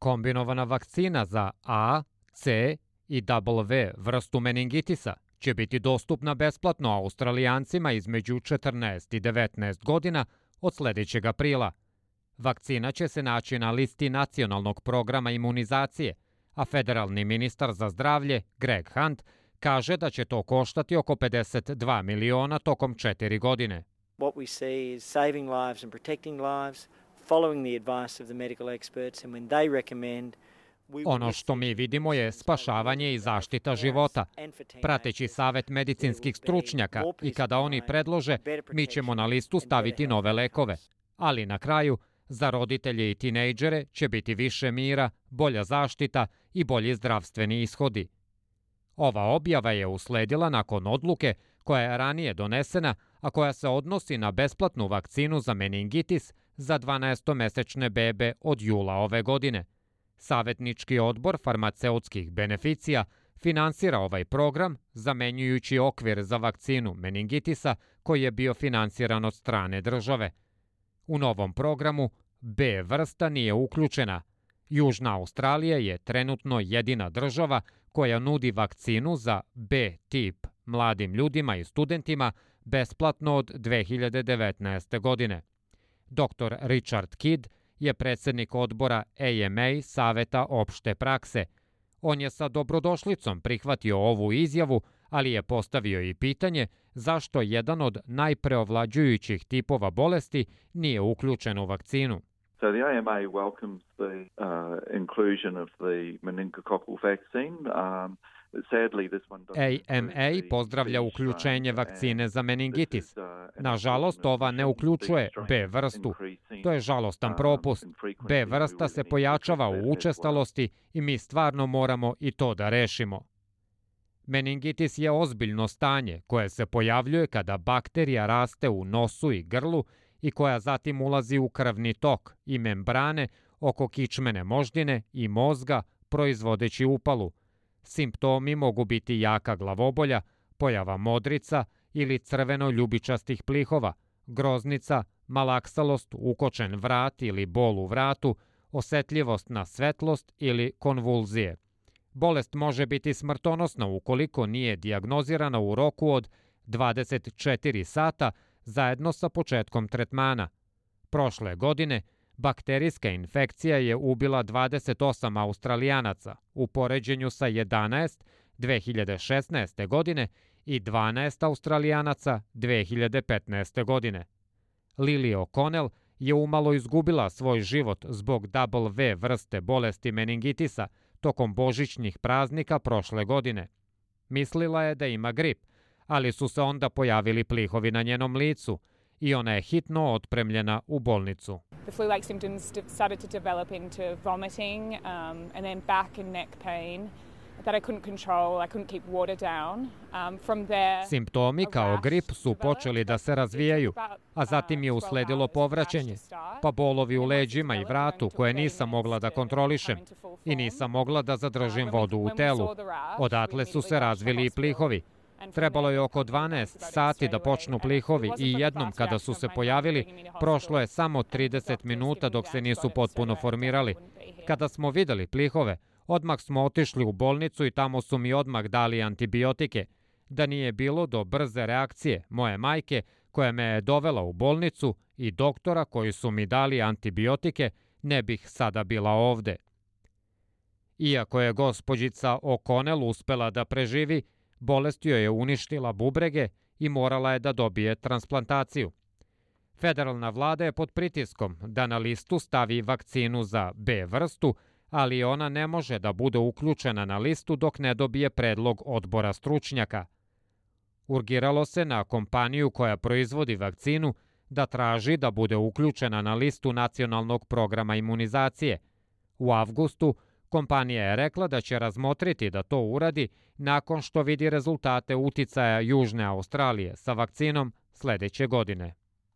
Kombinovana vakcina za A, C i W vrstu meningitisa će biti dostupna besplatno Australijancima između 14 i 19 godina od sljedećeg aprila. Vakcina će se naći na listi nacionalnog programa imunizacije, a federalni ministar za zdravlje, Greg Hunt, kaže da će to koštati oko 52 miliona tokom 4 godine. What we see is saving lives and protecting lives, following the advice of the medical experts, and when they recommend. Ono što mi vidimo je spašavanje i zaštita života. Prateći savjet medicinskih stručnjaka i kada oni predlože, mi ćemo na listu staviti nove lekove. Ali na kraju, za roditelje i tinejdžere će biti više mira, bolja zaštita i bolji zdravstveni ishodi. Ova objava je usledila nakon odluke koja je ranije donesena, a koja se odnosi na besplatnu vakcinu za meningitis za 12-mesečne bebe od jula ove godine. Savjetnički odbor farmaceutskih beneficija finansira ovaj program, zamenjujući okvir za vakcinu meningitisa koji je bio finansiran od strane države. U novom programu B vrsta nije uključena. Južna Australija je trenutno jedina država koja nudi vakcinu za B tip mladim ljudima i studentima besplatno od 2019. godine. Dr. Richard Kidd je predsjednik odbora AMA Saveta opšte prakse. On je sa dobrodošlicom prihvatio ovu izjavu, ali je postavio i pitanje zašto jedan od najpreovlađujućih tipova bolesti nije uključen u vakcinu. So the AMA welcomes the inclusion of the meningococcal vaccine. AMA pozdravlja uključenje vakcine za meningitis. Nažalost, ova ne uključuje B vrstu. To je žalostan propust. B vrsta se pojačava u učestalosti i mi stvarno moramo i to da rešimo. Meningitis je ozbiljno stanje koje se pojavljuje kada bakterija raste u nosu i grlu i koja zatim ulazi u krvni tok i membrane oko kičmene moždine i mozga, proizvodeći upalu. Simptomi mogu biti jaka glavobolja, pojava modrica ili crveno-ljubičastih plihova, groznica, malaksalost, ukočen vrat ili bol u vratu, osetljivost na svetlost ili konvulzije. Bolest može biti smrtonosna ukoliko nije dijagnozirana u roku od 24 sata zajedno sa početkom tretmana. Prošle godine bakterijska infekcija je ubila 28 Australijanaca u poređenju sa 11 2016. godine i 12 Australijanaca 2015. godine. Lily O'Connell je umalo izgubila svoj život zbog W vrste bolesti meningitisa tokom božićnih praznika prošle godine. Mislila je da ima grip, ali su se onda pojavili plihovi na njenom licu i ona je hitno otpremljena u bolnicu. The flu-like symptoms started to develop into vomiting and then back and neck pain that I couldn't control. I couldn't keep water down. From there, simptomi kao grip su počeli da se razvijaju, a zatim je usledilo povraćanje, pa bolovi u leđima i vratu koje nisam mogla da kontrolišem i nisam mogla da zadržim vodu u telu. Odatle su se razvili i plihovi. Trebalo je oko 12 sati da počnu plihovi i jednom kada su se pojavili, prošlo je samo 30 minuta dok se nisu potpuno formirali. Kada smo videli plihove, odmah smo otišli u bolnicu i tamo su mi odmah dali antibiotike. Da nije bilo do brze reakcije moje majke koja me je dovela u bolnicu i doktora koji su mi dali antibiotike, ne bih sada bila ovde. Iako je gospođica O'Connell uspela da preživi, bolest joj je uništila bubrege i morala je da dobije transplantaciju. Federalna vlada je pod pritiskom da na listu stavi vakcinu za B vrstu, ali ona ne može da bude uključena na listu dok ne dobije predlog odbora stručnjaka. Urgiralo se na kompaniju koja proizvodi vakcinu da traži da bude uključena na listu nacionalnog programa imunizacije. U avgustu kompanija je rekla da će razmotriti da to uradi nakon što vidi rezultate uticaja Južne Australije sa vakcinom sljedeće godine.